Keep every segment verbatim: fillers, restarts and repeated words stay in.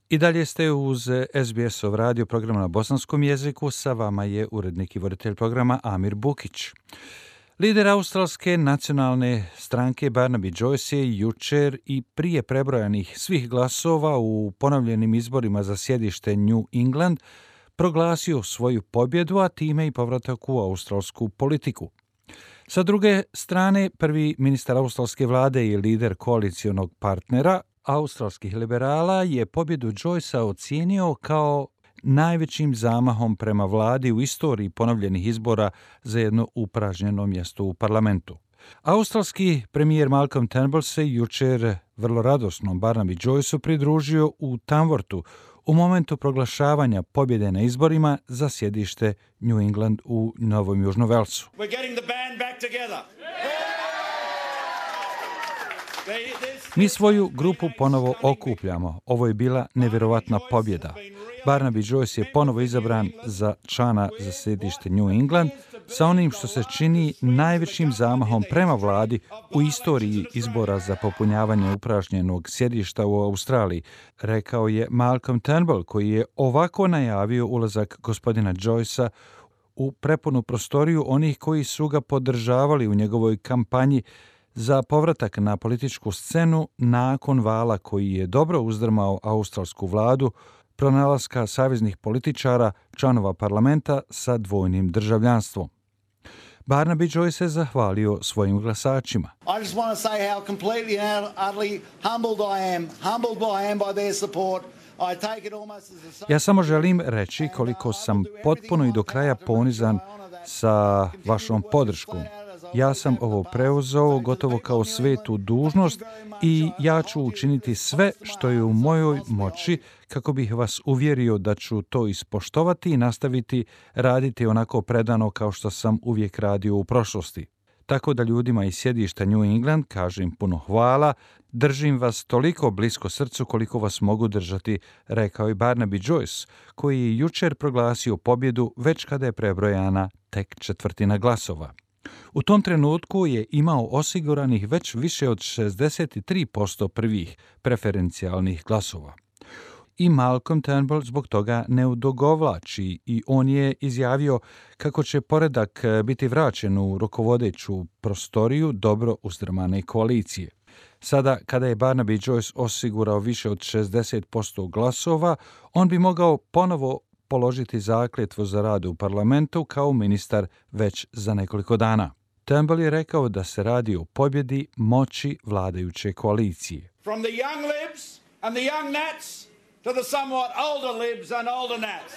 I dalje ste uz S B S-ov radio program na bosanskom jeziku. Sa vama je urednik i voditelj programa Amir Bukić. Lider australske nacionalne stranke Barnaby Joyce je jučer i prije prebrojanih svih glasova u ponovljenim izborima za sjedište New England proglasio svoju pobjedu, a time i povratak u australsku politiku. Sa druge strane, prvi ministar australske vlade i lider koalicionog partnera australskih liberala je pobjedu Joycea ocijenio kao najvećim zamahom prema vladi u istoriji ponovljenih izbora za jedno upražnjeno mjesto u parlamentu. Australski premijer Malcolm Turnbull se jučer vrlo radosnom Barnaby Joyceu pridružio u Tamworthu u momentu proglašavanja pobjede na izborima za sjedište New England u Novom Južnom Velsu. Mi svoju grupu ponovo okupljamo. Ovo je bila nevjerovatna pobjeda. Barnaby Joyce je ponovo izabran za člana za sjedište New England sa onim što se čini najvećim zamahom prema vladi u istoriji izbora za popunjavanje upražnjenog sjedišta u Australiji, rekao je Malcolm Turnbull, koji je ovako najavio ulazak gospodina Joycea u prepunu prostoriju onih koji su ga podržavali u njegovoj kampanji za povratak na političku scenu nakon vala koji je dobro uzdrmao australsku vladu, pronalaska saveznih političara, članova parlamenta sa dvojnim državljanstvom. Barnaby Joyce se zahvalio svojim glasačima. I just want to say how completely and utterly humbled I am, humbled I am by their support. I take it almost as a... Ja samo želim reći koliko sam potpuno i do kraja ponizan sa vašom podrškom. Ja sam ovo preuzeo gotovo kao svetu dužnost i ja ću učiniti sve što je u mojoj moći kako bih vas uvjerio da ću to ispoštovati i nastaviti raditi onako predano kao što sam uvijek radio u prošlosti. Tako da ljudima iz sjedišta New England kažem puno hvala, držim vas toliko blisko srcu koliko vas mogu držati, rekao je Barnaby Joyce, koji je jučer proglasio pobjedu već kada je prebrojana tek četvrtina glasova. U tom trenutku je imao osiguranih već više od šezdeset tri posto prvih preferencijalnih glasova. I Malcolm Turnbull zbog toga ne odugovlači i on je izjavio kako će poredak biti vraćen u rukovodeću prostoriju dobro uzdrmane koalicije. Sada, kada je Barnaby Joyce osigurao više od šezdeset posto glasova, on bi mogao ponovo položiti zakletvu za rad u parlamentu kao ministar već za nekoliko dana. Turnbull je rekao da se radi o pobjedi moći vladajuće koalicije. From the young libs and the young nats to the somewhat older libs and older nats.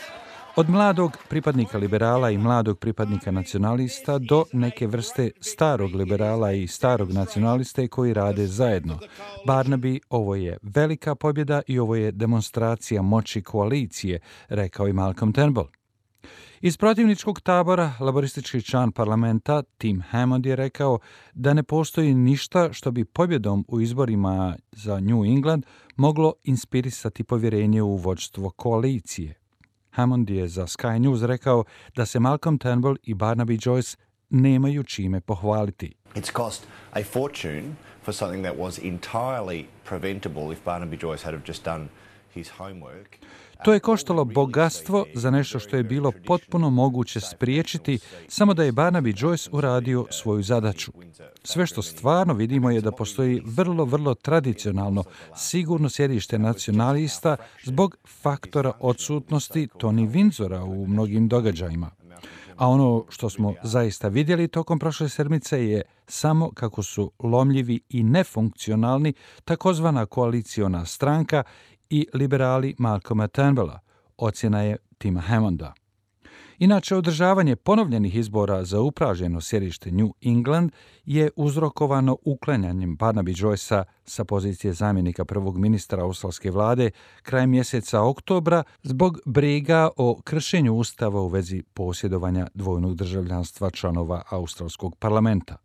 Od mladog pripadnika liberala i mladog pripadnika nacionalista do neke vrste starog liberala i starog nacionaliste koji rade zajedno. Barnaby, ovo je velika pobjeda i ovo je demonstracija moći koalicije, rekao i Malcolm Turnbull. Iz protivničkog tabora laboristički član parlamenta Tim Hammond je rekao da ne postoji ništa što bi pobjedom u izborima za New England moglo inspirisati povjerenje u vođstvo koalicije. Hammond je za Sky News rekao da se Malcolm Turnbull i Barnaby Joyce nemaju čime pohvaliti. It's cost a fortune for something that was entirely preventable if Barnaby Joyce had have just done his homework. To je koštalo bogatstvo za nešto što je bilo potpuno moguće spriječiti, samo da je Barnaby Joyce uradio svoju zadaću. Sve što stvarno vidimo je da postoji vrlo, vrlo tradicionalno sigurno sjedište nacionalista zbog faktora odsutnosti Tony Windsora u mnogim događajima. A ono što smo zaista vidjeli tokom prošle sedmice je samo kako su lomljivi i nefunkcionalni takozvana koaliciona stranka i liberali Malcolma Turnbulla, ocjena je Tima Hammonda. Inače, održavanje ponovljenih izbora za upražnjeno sjedište New England je uzrokovano uklanjanjem Barnaby Joycea sa pozicije zamjenika prvog ministra australske vlade krajem mjeseca oktobra zbog briga o kršenju ustava u vezi posjedovanja dvojnog državljanstva članova australskog parlamenta.